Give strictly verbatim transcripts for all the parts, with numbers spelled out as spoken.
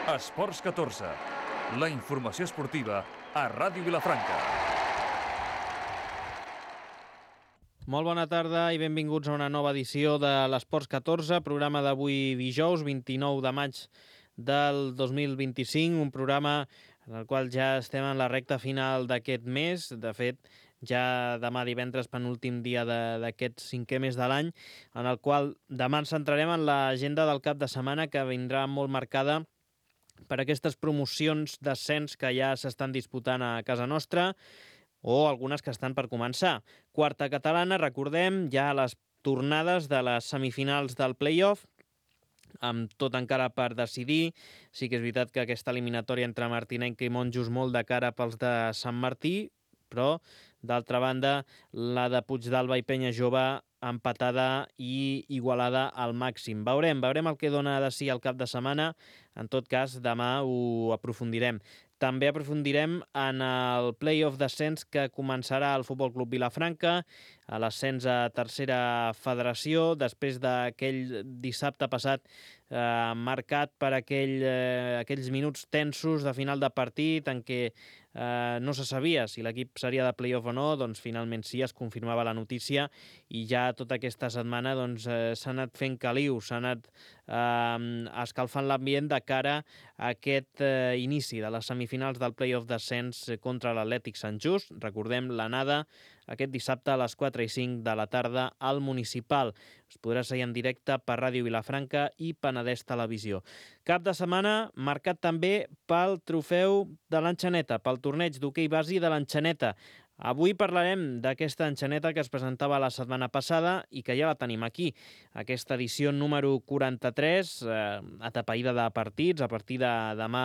Esports catorze, la informació esportiva a Ràdio Vilafranca. Molt bona tarda i benvinguts a una nova edició de l'Esports catorze, programa d'avui dijous, vint-i-nou de maig del dos mil vint-i-cinc, un programa en el qual ja estem en la recta final d'aquest mes. De fet, ja demà divendres, penúltim dia d'aquest cinquè mes de l'any, en el qual demà ens centrarem en l'agenda del cap de setmana, que vindrà molt marcada per aquestes promocions d'ascens que ja s'estan disputant a casa nostra, o algunes que estan per començar. Quarta catalana, recordem, ja les tornades de les semifinals del play-off, amb tot encara per decidir. Sí que és veritat que aquesta eliminatòria entre Martinenc i Monjos molt de cara pels de Sant Martí, però, d'altra banda, la de Puigdàlber i Penya Jove empatada i igualada al màxim. Veurem, veurem el que dona de si el cap de setmana. En tot cas, demà ho aprofundirem. També aprofundirem en el play-off d'ascens que començarà al Futbol Club Vilafranca, a l'ascens a tercera federació, després d'aquell dissabte passat eh, marcat per aquell, eh, aquells minuts tensos de final de partit en què eh, no se sabia si l'equip seria de play-off o no. Doncs finalment sí, es confirmava la notícia i ja tota aquesta setmana doncs, eh, s'ha anat fent caliu, s'ha anat eh, escalfant l'ambient de cara a aquest eh, inici de les semifinals del play-off d'ascens contra l'Atlètic Sant Just. Recordem l'anada aquest dissabte a les quatre i cinc de la tarda al Municipal. Es podrà seguir en directe per Ràdio Vilafranca i Penedès Televisió. Cap de setmana marcat també pel trofeu de l'Enxaneta, pel torneig d'hoquei basi de l'Enxaneta. Avui parlarem d'aquesta enxaneta que es presentava la setmana passada i que ja la tenim aquí. Aquesta edició número quaranta-tres, eh, atapeïda de partits, a partir de demà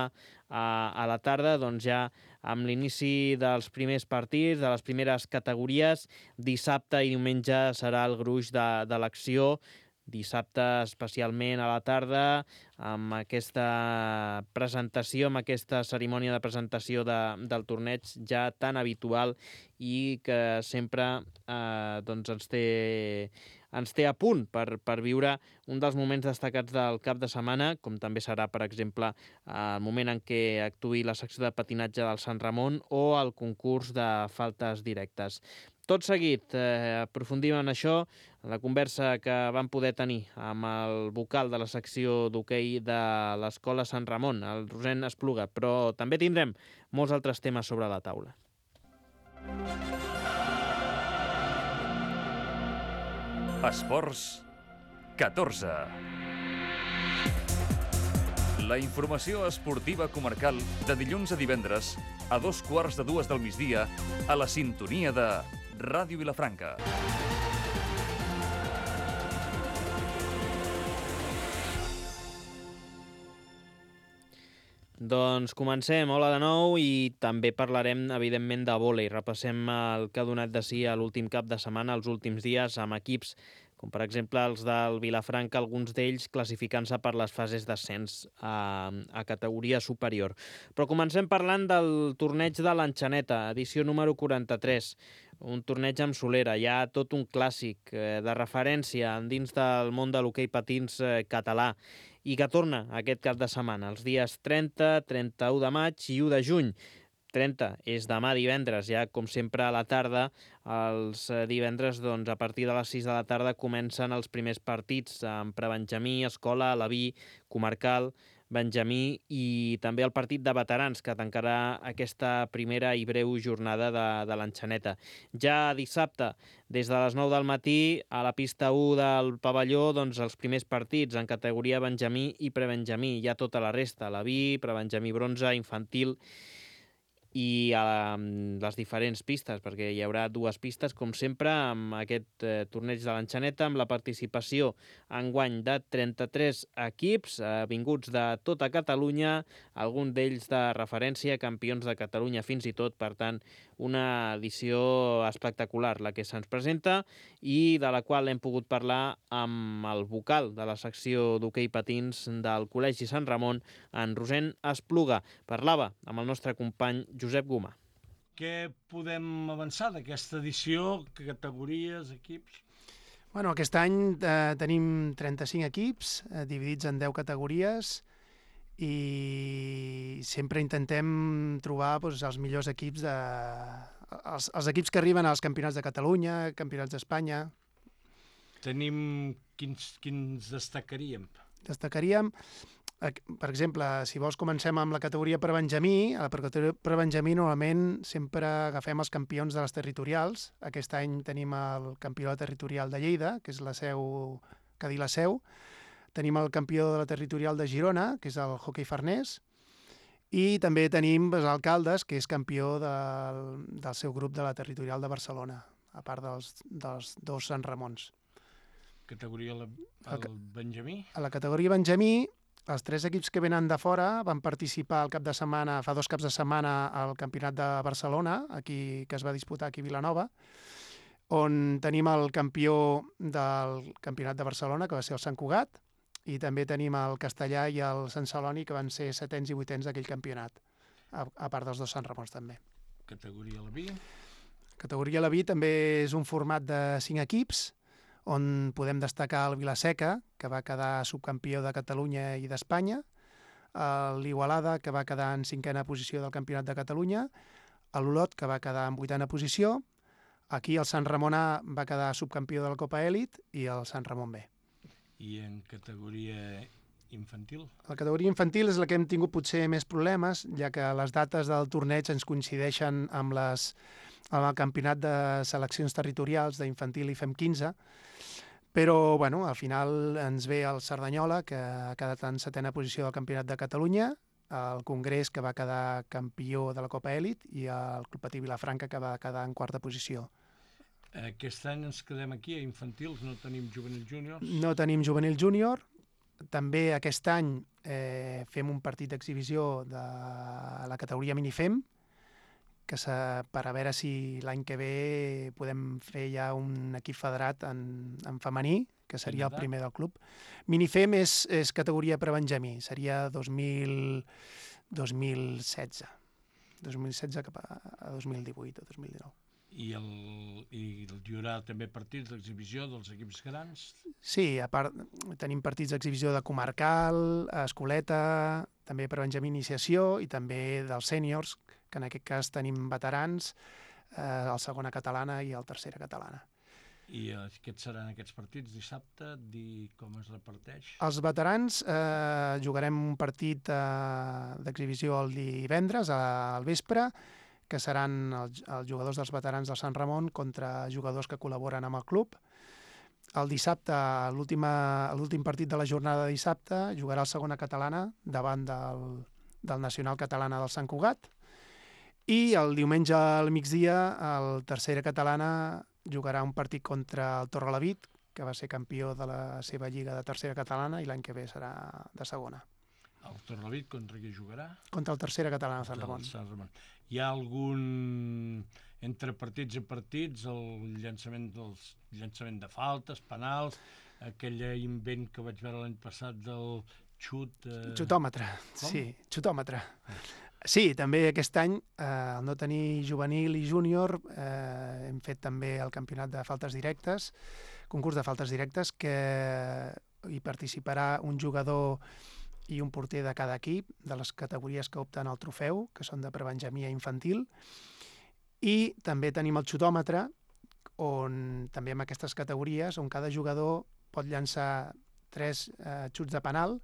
a, a la tarda, doncs ja amb l'inici dels primers partits, de les primeres categories. Dissabte i diumenge serà el gruix de, de l'acció. Dissabte especialment a la tarda, amb aquesta presentació, amb aquesta cerimònia de presentació de, del torneig ja tan habitual i que sempre eh, doncs ens té, ens té a punt per, per viure un dels moments destacats del cap de setmana, com també serà, per exemple, el moment en què actuï la secció de patinatge del Sant Ramon o el concurs de faltes directes. Tot seguit, eh, aprofundim en això, en la conversa que vam poder tenir amb el vocal de la secció d'hoquei de l'Escola Sant Ramon, el Rosén Espluga, però també tindrem molts altres temes sobre la taula. Esports catorze. La informació esportiva comarcal de dilluns a divendres a dos quarts de dues del migdia a la sintonia de Ràdio Vilafranca. Doncs comencem. Hola de nou i també parlarem, evidentment, de vòlei. Repassem el que ha donat de si a l'últim cap de setmana, els últims dies, amb equips com per exemple els del Vilafranca, alguns d'ells classificant-se per les fases d'ascens a, a categoria superior. Però comencem parlant del torneig de l'Enxaneta, edició número quaranta-tres, un torneig amb solera, ja tot un clàssic eh, de referència dins del món de l'hoquei patins eh, català, i que torna aquest cap de setmana, els dies trenta, trenta-u de maig i u de juny. trenta és demà divendres, ja com sempre a la tarda. Els divendres, doncs, a partir de les sis de la tarda comencen els primers partits amb prebenjamí, escola, alaví, comarcal, benjamí i també el partit de veterans que tancarà aquesta primera i breu jornada de, de l'Enxaneta. Ja dissabte, des de les nou del matí, a la pista u del pavelló, doncs els primers partits en categoria benjamí i prebenjamí. Ja tota la resta, alaví, prebenjamí bronze, infantil i a les diferents pistes, perquè hi haurà dues pistes, com sempre, amb aquest eh, torneig de l'Enxaneta, amb la participació enguany de trenta-tres equips eh, vinguts de tota Catalunya, algun d'ells de referència, campions de Catalunya fins i tot. Per tant, una edició espectacular la que se'ns presenta i de la qual hem pogut parlar amb el vocal de la secció d'hoquei patins del Col·legi Sant Ramon, en Rosén Espluga. Parlava amb el nostre company Josep Gomà. Què podem avançar d'aquesta edició? Categories, equips? Bueno, aquest any eh, tenim trenta-cinc equips, eh, dividits en deu categories, i sempre intentem trobar doncs, els millors equips, de, els, els equips que arriben als campionats de Catalunya, campionats d'Espanya. Tenim... Quins, quins destacaríem? Destacaríem, per exemple, si vols comencem amb la categoria per Benjamí. A la categoria per Benjamí normalment sempre agafem els campions de les territorials. Aquest any tenim el campió de la territorial de Lleida, que és la seu, Cadí la Seu. Tenim el campió de la territorial de Girona, que és el hoquei farnès. I també tenim els alcaldes, que és campió del, del seu grup de la territorial de Barcelona, a part dels, dels dos Sant Ramons. Categoria el, el Benjamí? A la categoria Benjamí, els tres equips que venen de fora van participar el cap de setmana, fa dos caps de setmana, al Campionat de Barcelona, aquí, que es va disputar aquí a Vilanova, on tenim el campió del Campionat de Barcelona, que va ser el Sant Cugat, i també tenim el Castellà i el Sant Celoni, que van ser setens i vuitens d'aquell campionat, a, a part dels dos Sant Ramons també. Categoria Leví? Categoria Leví també és un format de cinc equips, on podem destacar el Vilaseca, que va quedar subcampió de Catalunya i d'Espanya, l'Igualada, que va quedar en cinquena posició del Campionat de Catalunya, l'Olot, que va quedar en vuitena posició, aquí el Sant Ramon A va quedar subcampió de la Copa Elit i el Sant Ramon B. I en categoria infantil? La categoria infantil és la que hem tingut potser més problemes, ja que les dates del torneig ens coincideixen amb, les, amb el campionat de seleccions territorials d'infantil i fem quinze, però bueno, al final ens ve el Cerdanyola, que ha quedat en setena posició del Campionat de Catalunya, el Congrés, que va quedar campió de la Copa Elit, i el Club Patí Vilafranca, que va quedar en quarta posició. Aquest any ens quedem aquí, a infantils, no tenim juvenil júnior? No tenim juvenil júnior. També aquest any eh, fem un partit d'exhibició de la categoria Minifem, que per a veure si l'any que ve podem fer ja un equip federat en, en femení, que seria el primer del club. Minifem és, és categoria per a Benjamí, seria dos mil setze. dos mil setze cap a, a dos mil divuit o dos mil dinou. I, el, i hi haurà també partits d'exhibició dels equips grans? Sí, a part tenim partits d'exhibició de comarcal, escoleta, també per Benjamí iniciació i també dels sèniors, que en aquest cas tenim veterans, eh, el segona catalana i el tercera catalana. I aquests seran aquests partits dissabte? Dir com es reparteix? Els veterans eh, jugarem un partit eh, d'exhibició el divendres al vespre, que seran els, els jugadors dels veterans del Sant Ramon contra jugadors que col·laboren amb el club. El dissabte, l'últim partit de la jornada de dissabte, jugarà el segona catalana davant del, del Nacional Catalana del Sant Cugat. I el diumenge al migdia, el tercera catalana jugarà un partit contra el Torrelavit, que va ser campió de la seva lliga de tercera catalana i l'any que ve serà de segona. El Torrelavit contra qui jugarà? Contra el tercera catalana de Sant Ramon. Sant Ramon. Hi ha algun, entre partits i partits, el llançament, dels, llançament de faltes, penals, aquell invent que vaig veure l'any passat del xut... Eh... Xutòmetre, Com? sí, xutòmetre. Sí, també aquest any, eh, al no tenir juvenil i júnior, eh, hem fet també el campionat de faltes directes, concurs de faltes directes, que hi participarà un jugador i un porter de cada equip, de les categories que opten al trofeu, que són de prebenjamí i infantil. I també tenim el xutòmetre, on també en aquestes categories, on cada jugador pot llançar tres eh, xuts de penal,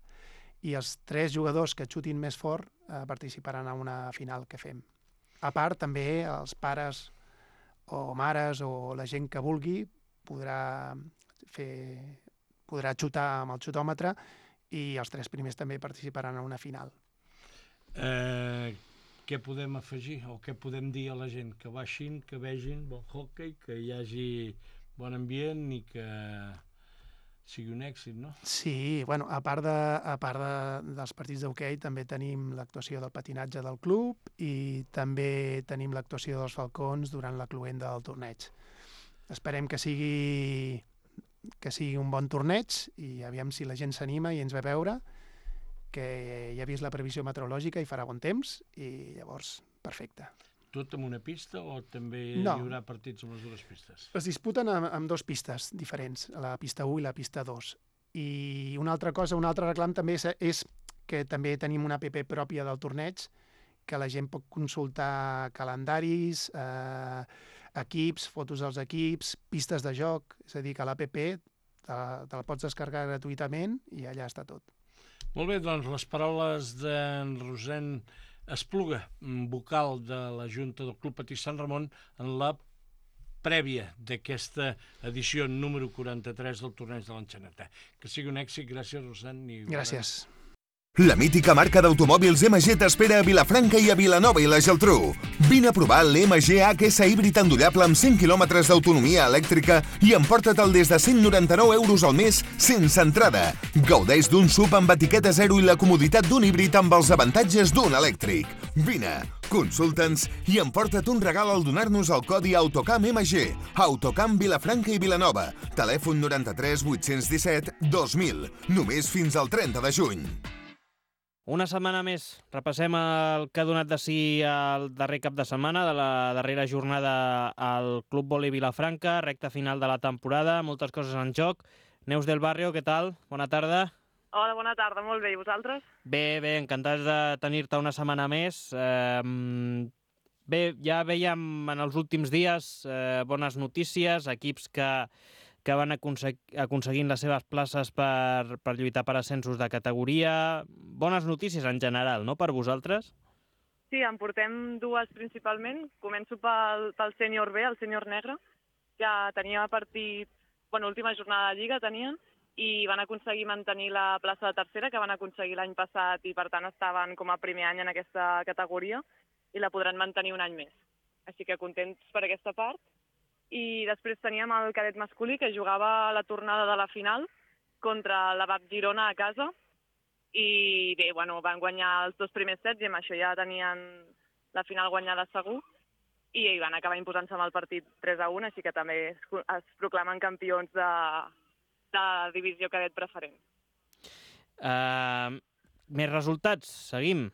i els tres jugadors que xutin més fort eh, participaran en una final que fem. A part, també els pares o mares o la gent que vulgui podrà, fer, podrà xutar amb el xutòmetre i els tres primers també participaran en una final. Eh, què podem afegir o què podem dir a la gent? Que baixin, que vegin bon hoquei, que hi hagi bon ambient i que sigui un èxit, no? Sí, bueno, a part, de, a part de, dels partits d'hoquei també tenim l'actuació del patinatge del club i també tenim l'actuació dels falcons durant la cloenda del torneig. Esperem que sigui, que sigui un bon torneig i aviam si la gent s'anima i ens ve a veure, que ja ha vist la previsió meteorològica i farà bon temps i llavors, perfecte. Tot amb una pista o també no. hi haurà partits amb les dues pistes? Es disputen amb, amb dues pistes diferents, la pista u i la pista dos. I una altra cosa, un altre reclam també és, és que també tenim una app pròpia del torneig que la gent pot consultar calendaris, eh, equips, fotos dels equips, pistes de joc, és a dir, que l'app te, te la pots descarregar gratuïtament i allà està tot. Molt bé, doncs les paraules d'en Rosén Espluga, vocal de la Junta del Club Patí Sant Ramon, en la prèvia d'aquesta edició número quaranta-tres del torneig de l'Enxaneta. Que sigui un èxit, gràcies, Rosén. I gràcies. La mítica marca d'automòbils M G t'espera a Vilafranca i a Vilanova i la Geltrú. Vine a provar l'M G H S híbrid endollable amb cent quilòmetres d'autonomia elèctrica i emporta-te'l des de cent noranta-nou euros al mes sense entrada. Gaudeix d'un S U V amb etiqueta zero i la comoditat d'un híbrid amb els avantatges d'un elèctric. Vine, consulta'ns i emporta't un regal al donar-nos el codi Autocam M G. Autocam Vilafranca i Vilanova. Telèfon noranta-tres vuit-cents disset dos mil. Només fins al trenta de juny. Una setmana més. Repassem el que ha donat de si el darrer cap de setmana de la darrera jornada al Club Vòlei Vilafranca, recta final de la temporada, moltes coses en joc. Neus del Barrio, què tal? Bona tarda. Hola, bona tarda, molt bé. I vosaltres? Bé, bé, encantats de tenir-te una setmana més. Eh, bé, ja veiem en els últims dies eh, bones notícies, equips que... que van aconseguint les seves places per, per lluitar per ascensos de categoria. Bones notícies en general, no?, per vosaltres? Sí, en portem dues principalment. Començo pel, pel sènior B, el sènior negre, que tenia partit, bueno, última jornada de Lliga tenien, i van aconseguir mantenir la plaça de tercera, que van aconseguir l'any passat, i per tant estaven com a primer any en aquesta categoria, i la podran mantenir un any més. Així que contents per aquesta part. I després teníem el cadet masculí, que jugava la tornada de la final contra la V A P Girona a casa. I bé, bueno, van guanyar els dos primers sets i amb això ja tenien la final guanyada segur. I van acabar imposant-se amb el partit tres a un, així que també es, es proclamen campions de, de divisió cadet preferent. Uh, més resultats, seguim.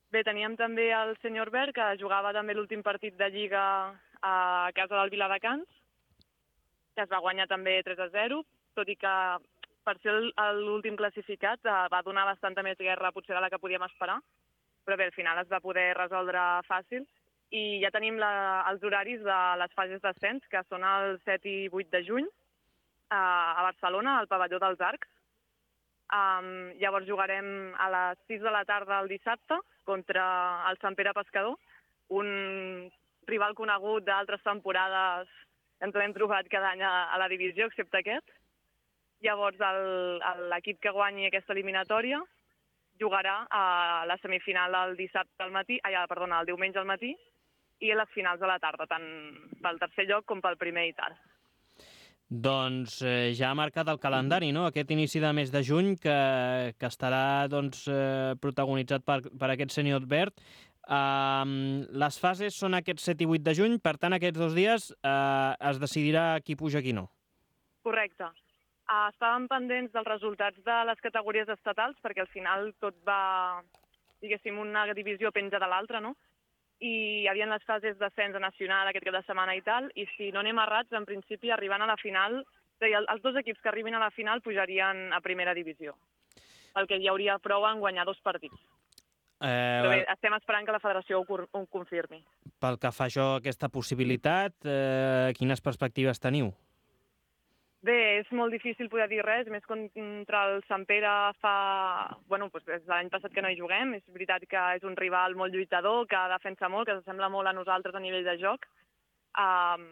Bé, teníem també el sènior Verd, que jugava també l'últim partit de Lliga a casa del Viladecans, que es va guanyar també tres a zero, tot i que per ser l'últim classificat va donar bastanta més guerra potser de la que podíem esperar, però bé, al final es va poder resoldre fàcil. I ja tenim la, els horaris de les fases d'ascens, que són el set i vuit de juny, a, a Barcelona, al pavelló dels Arcs. Um, llavors jugarem a les sis de la tarda el dissabte contra el Sant Pere Pescador, un rival conegut d'altres temporades, ens l'hem trobat cada any a, a la divisió, excepte aquest. Llavors l'equip que guanyi aquesta eliminatòria jugarà a la semifinal el dissabte al matí, ai, perdona, el diumenge al matí, i a les finals de la tarda, tant pel tercer lloc com pel primer i tal. Doncs eh, ja ha marcat el calendari, no?, aquest inici de mes de juny que, que estarà doncs, eh, protagonitzat per, per aquest sènior verd. Uh, les fases són aquests set i vuit de juny, per tant aquests dos dies uh, es decidirà qui puja qui no. Correcte. Uh, estàvem pendents dels resultats de les categories estatals perquè al final tot va, diguéssim, una divisió penja de l'altra, no? I hi havia les fases d'ascens nacional aquest cap de setmana i tal, i si no anem errats, en principi arribant a la final, és a dir, els dos equips que arribin a la final pujarien a primera divisió, perquè hi hauria prou en guanyar dos partits. Eh, Però bé, estem esperant que la federació ho, ho confirmi. Pel que fa això, aquesta possibilitat, eh, quines perspectives teniu? Bé, és molt difícil poder dir res, més contra el Sant Pere fa... Bueno, doncs des de l'any passat que no hi juguem, és veritat que és un rival molt lluitador, que defensa molt, que s'assembla molt a nosaltres a nivell de joc, um,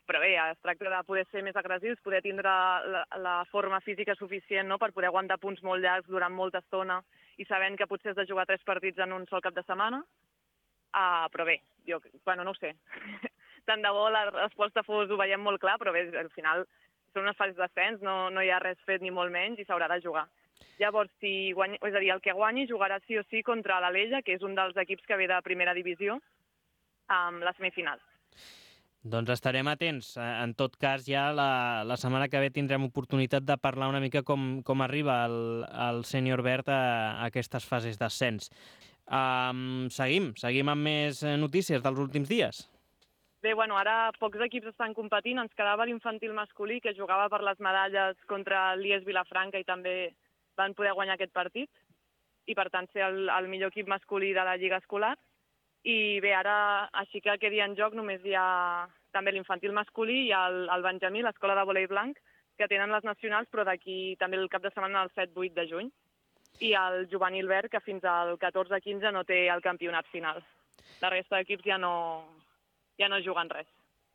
però bé, es tracta de poder ser més agressius, poder tindre la, la forma física suficient, no?, per poder aguantar punts molt llargs durant molta estona i sabent que potser has de jugar tres partits en un sol cap de setmana. Uh, però bé, jo, bueno, no ho sé. Tant de bo la resposta fos, ho veiem molt clar, però bé, al final són unes fases d'ascens, no, no hi ha res fet ni molt menys i s'haurà de jugar. Llavors, si guanyi, és a dir, el que guanyi jugarà sí o sí contra l'Alella, que és un dels equips que ve de primera divisió, amb la semifinal. Doncs estarem atents. En tot cas, ja la, la setmana que ve tindrem oportunitat de parlar una mica com, com arriba el, el sènior verd a, a aquestes fases d'ascens. Um, seguim, seguim amb més notícies dels últims dies. Bé, bueno, ara pocs equips estan competint. Ens quedava l'infantil masculí, que jugava per les medalles contra l'I E S Vilafranca i també van poder guanyar aquest partit. i per tant ser el, el millor equip masculí de la Lliga Escolar. I bé, ara, així que quedi en joc, només hi ha també l'infantil masculí i el, el Benjamí, l'escola de volei blanc, que tenen les nacionals, però d'aquí també el cap de setmana el set vuit de juny. I el juvenil verd, que fins al catorze quinze no té el campionat final. La resta d'equips ja no, ja no juguen res.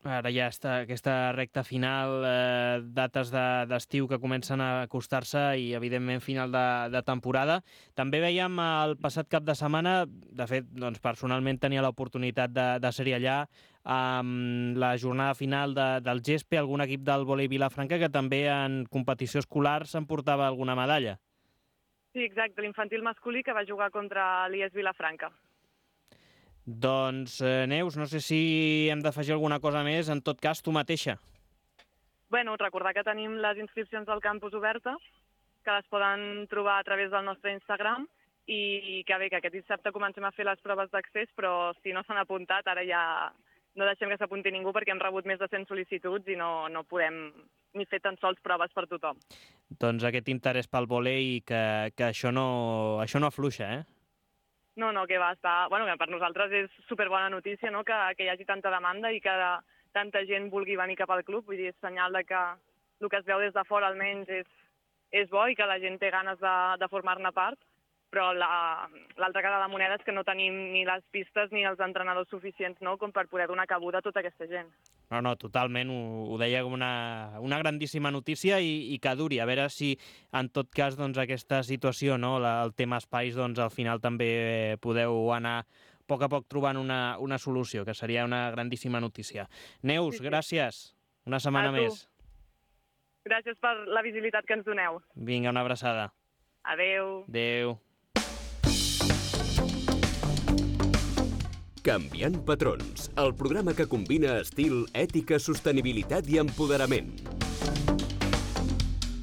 Ara ja està aquesta recta final, eh, dates d'estiu de, que comencen a acostar-se i, evidentment, final de, de temporada. També veiem el passat cap de setmana, de fet, doncs, personalment tenia l'oportunitat de, de ser-hi allà, amb la jornada final de, del G E S P, algun equip del volei Vilafranca que també en competició escolar s'emportava alguna medalla. Sí, exacte, l'infantil masculí que va jugar contra l'I E S Vilafranca. Doncs, eh, Neus, no sé si hem d'afegir alguna cosa més, en tot cas, tu mateixa. Bueno, recordar que tenim les inscripcions del campus obertes, que les poden trobar a través del nostre Instagram, i que bé, que aquest dissabte comencem a fer les proves d'accés, però si no s'han apuntat, ara ja no deixem que s'apunti ningú perquè hem rebut més de cent sol·licituds i no, no podem ni fer tan sols proves per tothom. Doncs aquest interès pel volei, que, que això, no, això no afluixa, eh? No, no, que va estar... Bueno, per nosaltres és superbona notícia, no?, que, que hi hagi tanta demanda i que tanta gent vulgui venir cap al club. Vull dir, és senyal de que el que es veu des de fora almenys és, és bo i que la gent té ganes de, de formar-ne part, però l'altra la, cara de la moneda és que no tenim ni les pistes ni els entrenadors suficients, no?, com per poder donar cabuda a tota aquesta gent. No, no, totalment, ho, ho deia com una, una grandíssima notícia i, i que duri. A veure si, en tot cas, doncs, aquesta situació, no?, la, el tema espais, doncs, al final també podeu anar a poc a poc trobant una, una solució, que seria una grandíssima notícia. Neus, sí, sí. Gràcies. Una setmana més. Gràcies per la visibilitat que ens doneu. Vinga, una abraçada. Adeu. Adeu. Canviant patrons, el programa que combina estil, ètica, sostenibilitat i empoderament.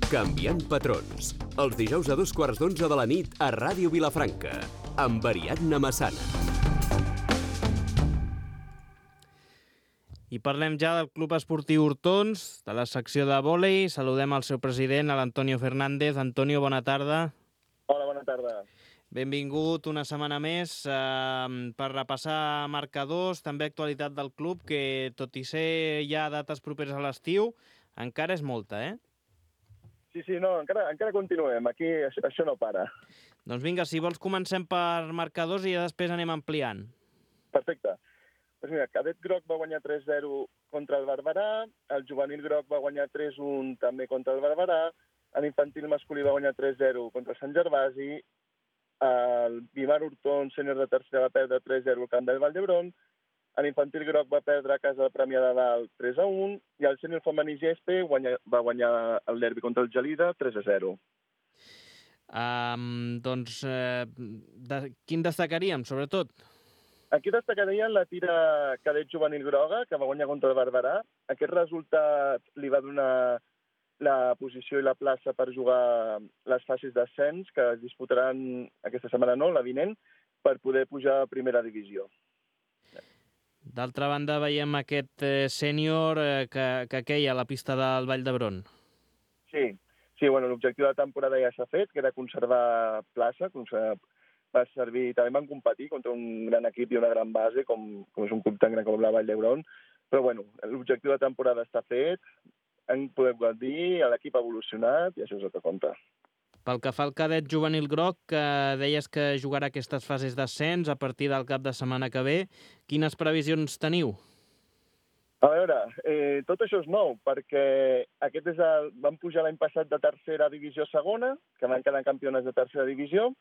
Canviant patrons, els dijous a dos quarts d'onze de la nit a Ràdio Vilafranca, amb Ariadna Massana. I parlem ja del Club Esportiu Hortons, de la secció de vòlei. Saludem al seu president, l'Antonio Fernández. Antonio, bona tarda. Hola, bona tarda. Benvingut una setmana més eh, per repassar marcadors, també actualitat del club, que tot i ser ja dates properes a l'estiu, encara és molta, eh? Sí, sí, no, encara, encara continuem, aquí això, això no para. Doncs vinga, si vols comencem per marcadors i ja després anem ampliant. Perfecte. Doncs mira, Cadet Groc va guanyar tres zero contra el Barberà, el Juvenil Groc va guanyar tres un també contra el Barberà, l'infantil masculí va guanyar tres zero contra Sant Gervasi, el Vimar Hortons sènior de tercera va perdre tres zero al camp del Vall d'Hebron, l'infantil groc va perdre a casa de Premià de Dalt tres a un i el sènior femení G E S P guanya, va guanyar el derbi contra el Gelida tres a zero. Um, doncs, eh, de, quin destacaríem, sobretot? Aquí destacaria la tira cadet juvenil groga, que va guanyar contra el Barberà. Aquest resultat li va donar la posició i la plaça per jugar les fases d'ascens que es disputaran aquesta setmana, no, la vinent, per poder pujar a primera divisió. D'altra banda, veiem aquest eh, sènior eh, que, que queia a la pista del Vall d'Hebron. Sí, sí, bueno, l'objectiu de la temporada ja s'ha fet, que era conservar plaça, conservar, va servir, també van competir contra un gran equip i una gran base, com, com és un club tan gran com la Vall d'Hebron, però bueno, l'objectiu de la temporada està fet, en podem dir, l'equip ha evolucionat i això és el que compta. Pel que fa al cadet juvenil groc, que deies que jugarà aquestes fases d'ascens a partir del cap de setmana que ve, quines previsions teniu? A veure, eh, tot això és nou, perquè aquest és el, van pujar l'any passat de tercera divisió a segona, que van quedar campiones de tercera divisió.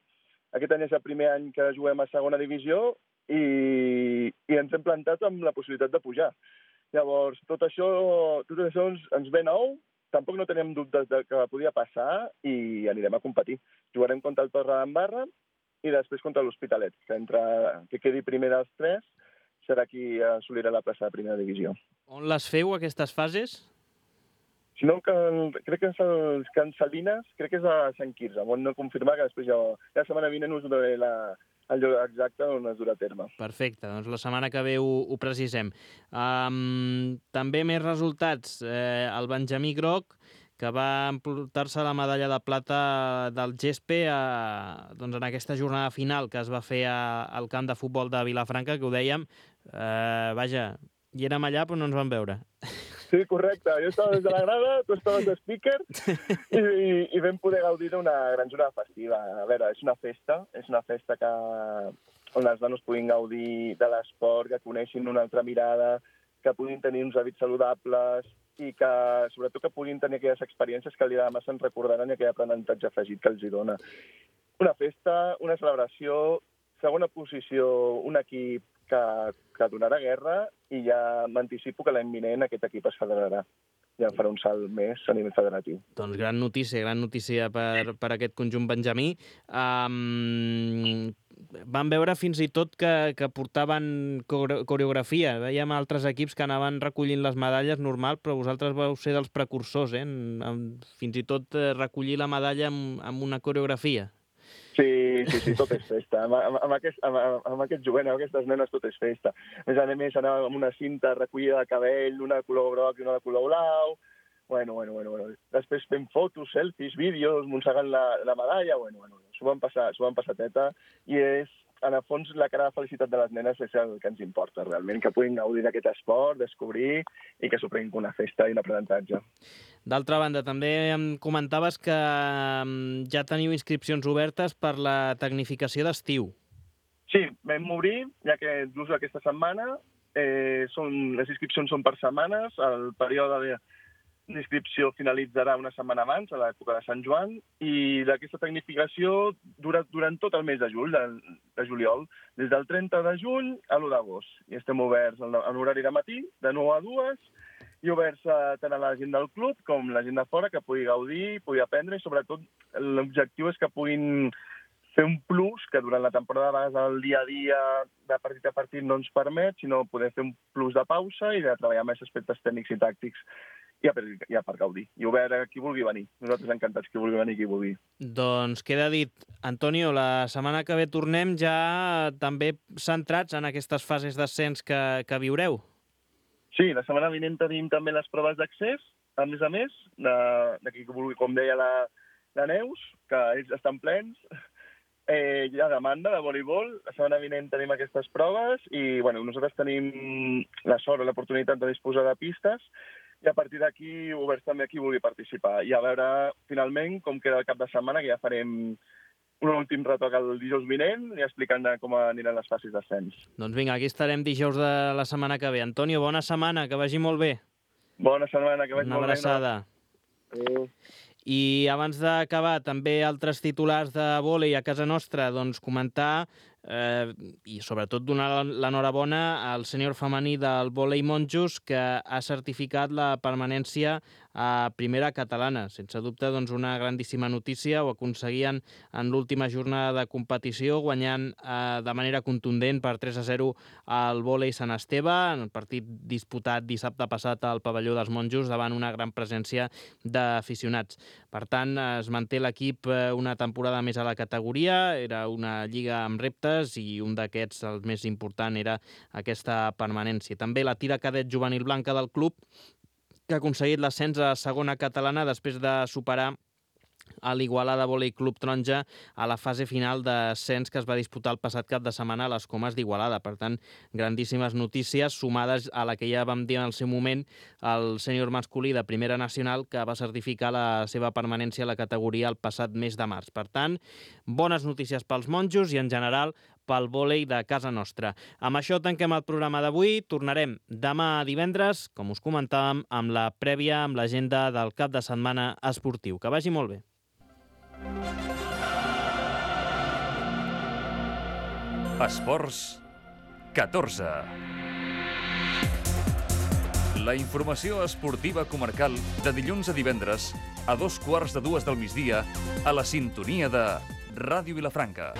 Aquest any és el primer any que juguem a segona divisió i, i ens hem plantat amb la possibilitat de pujar. Llavors, tot això, tot això ens, ens ve nou, tampoc no tenim dubtes de que podia passar i anirem a competir. Jugarem contra el Torre d'Embarra i després contra l'Hospitalet, que entre que quedi primer dels tres serà qui assolirà la plaça de primera divisió. On les feu, aquestes fases? Si no, que, crec que és el Can Salines, crec que és a Sant Quirze, on no confirmar, que després ja, la setmana vinent us donaré la, el lloc exacte on es durà a terme. Perfecte, doncs la setmana que ve ho, ho precisem. Um, també més resultats. Eh, el Benjamí Groc, que va emportar-se la medalla de plata del gespe a, doncs en aquesta jornada final que es va fer a, al camp de futbol de Vilafranca, que ho dèiem, eh, vaja, hi érem allà però no ens vam veure. Sí, correcte. Jo estava des de la grada, tu estaves de speaker i, i, i vam poder gaudir d'una gran jornada festiva. A veure, és una festa, és una festa que, on els nanos puguin gaudir de l'esport, que coneixin una altra mirada, que puguin tenir uns hàbits saludables i que, sobretot, que puguin tenir aquelles experiències que li demà se'n recordaran i aquell aprenentatge afegit que els hi dona. Una festa, una celebració, segona posició, un equip que, que donarà guerra i ja m'anticipo que l'any vinent aquest equip es federarà. Ja farà un salt més a nivell federatiu. Doncs gran notícia, gran notícia per, per aquest conjunt benjamí. Um, vam veure fins i tot que, que portaven coreografia. Veiem altres equips que anaven recollint les medalles normal, però vosaltres vau ser dels precursors, eh? En, en, fins i tot recollir la medalla amb, amb una coreografia. Sí, sí, sí, tot és festa. Amb, amb, amb, aquest, amb, amb aquest jovent, amb aquestes nenes, tot és festa. A més a més, anàvem amb una cinta recollida de cabell, una de color groc i una de color blau. Bueno, bueno, bueno. bueno. Després fem fotos, selfies, vídeos, mossegant la, la medalla. Bueno, bueno, s'ho van passar, s'ho van passar teta. I és, en el fons, la cara de felicitat de les nenes és el que ens importa, realment, que puguin gaudir d'aquest esport, descobrir i que s'ho prenguin com una festa i un aprenentatge. D'altra banda, també em comentaves que ja teniu inscripcions obertes per la tecnificació d'estiu. Sí, vam obrir, ja que just aquesta setmana, eh, són, les inscripcions són per setmanes, el període d'inscripció finalitzarà una setmana abans, a l'època de Sant Joan, i d'aquesta tecnificació dura durant tot el mes de juny, de, de juliol, des del trenta de juny a l'u d'agost. I estem oberts en horari de matí, de nou a dues, i oberts tant a la gent del club com la gent de fora que pugui gaudir, pugui aprendre i sobretot l'objectiu és que puguin fer un plus que durant la temporada a vegades el dia a dia de partit a partit no ens permet, sinó poder fer un plus de pausa i de treballar més aspectes tècnics i tàctics ja per, ja per gaudir. I obert a qui vulgui venir. Nosaltres encantats qui vulgui venir, qui vulgui. Doncs queda dit. Antonio, la setmana que ve tornem ja també centrats en aquestes fases d'ascens que, que viureu. Sí, la setmana vinent tenim també les proves d'accés, a més a més, de, de qui vulgui, com deia la, la Neus, que ells estan plens. Eh, hi ha demanda de voleibol, la setmana vinent tenim aquestes proves i bueno, nosaltres tenim la sort o l'oportunitat de disposar de pistes i a partir d'aquí oberts també a qui vulgui participar. I a veure, finalment, com queda el cap de setmana, que ja farem un últim retoc el dijous vinent i explicant com aniran les fases d'ascens. Doncs vinga, aquí estarem dijous de la setmana que ve. Antonio, bona setmana, que vagi molt bé. Bona setmana, que vagi Una molt bé. Una abraçada. Adéu. I abans d'acabar, també altres titulars de vòlei a casa nostra, doncs comentar eh, i sobretot donar l'enhorabona al sènior femení del vòlei monjos que ha certificat la permanència a primera catalana. Sense dubte, doncs, una grandíssima notícia. Ho aconseguien en l'última jornada de competició, guanyant eh, de manera contundent per tres a zero al vòlei Sant Esteve, en el partit disputat dissabte passat al pavelló dels monjos davant una gran presència d'aficionats. Per tant, es manté l'equip una temporada més a la categoria, era una lliga amb reptes i un d'aquests, el més important, era aquesta permanència. També la tira cadet juvenil blanca del club, que ha aconseguit l'ascens a segona catalana després de superar a l'Igualada Vòlei Club Taronja a la fase final d'ascens que es va disputar el passat cap de setmana a les Comes d'Igualada. Per tant, grandíssimes notícies sumades a la que ja vam dir en el seu moment el sènior masculí de Primera Nacional, que va certificar la seva permanència a la categoria el passat mes de març. Per tant, bones notícies pels monjos i en general pel vòlei de casa nostra. Amb això tanquem el programa d'avui. Tornarem demà divendres, com us comentàvem, amb la prèvia, amb l'agenda del cap de setmana esportiu. Que vagi molt bé. Esports catorze. La informació esportiva comarcal de dilluns a divendres a dos quarts de dues del migdia a la sintonia de Ràdio Vilafranca.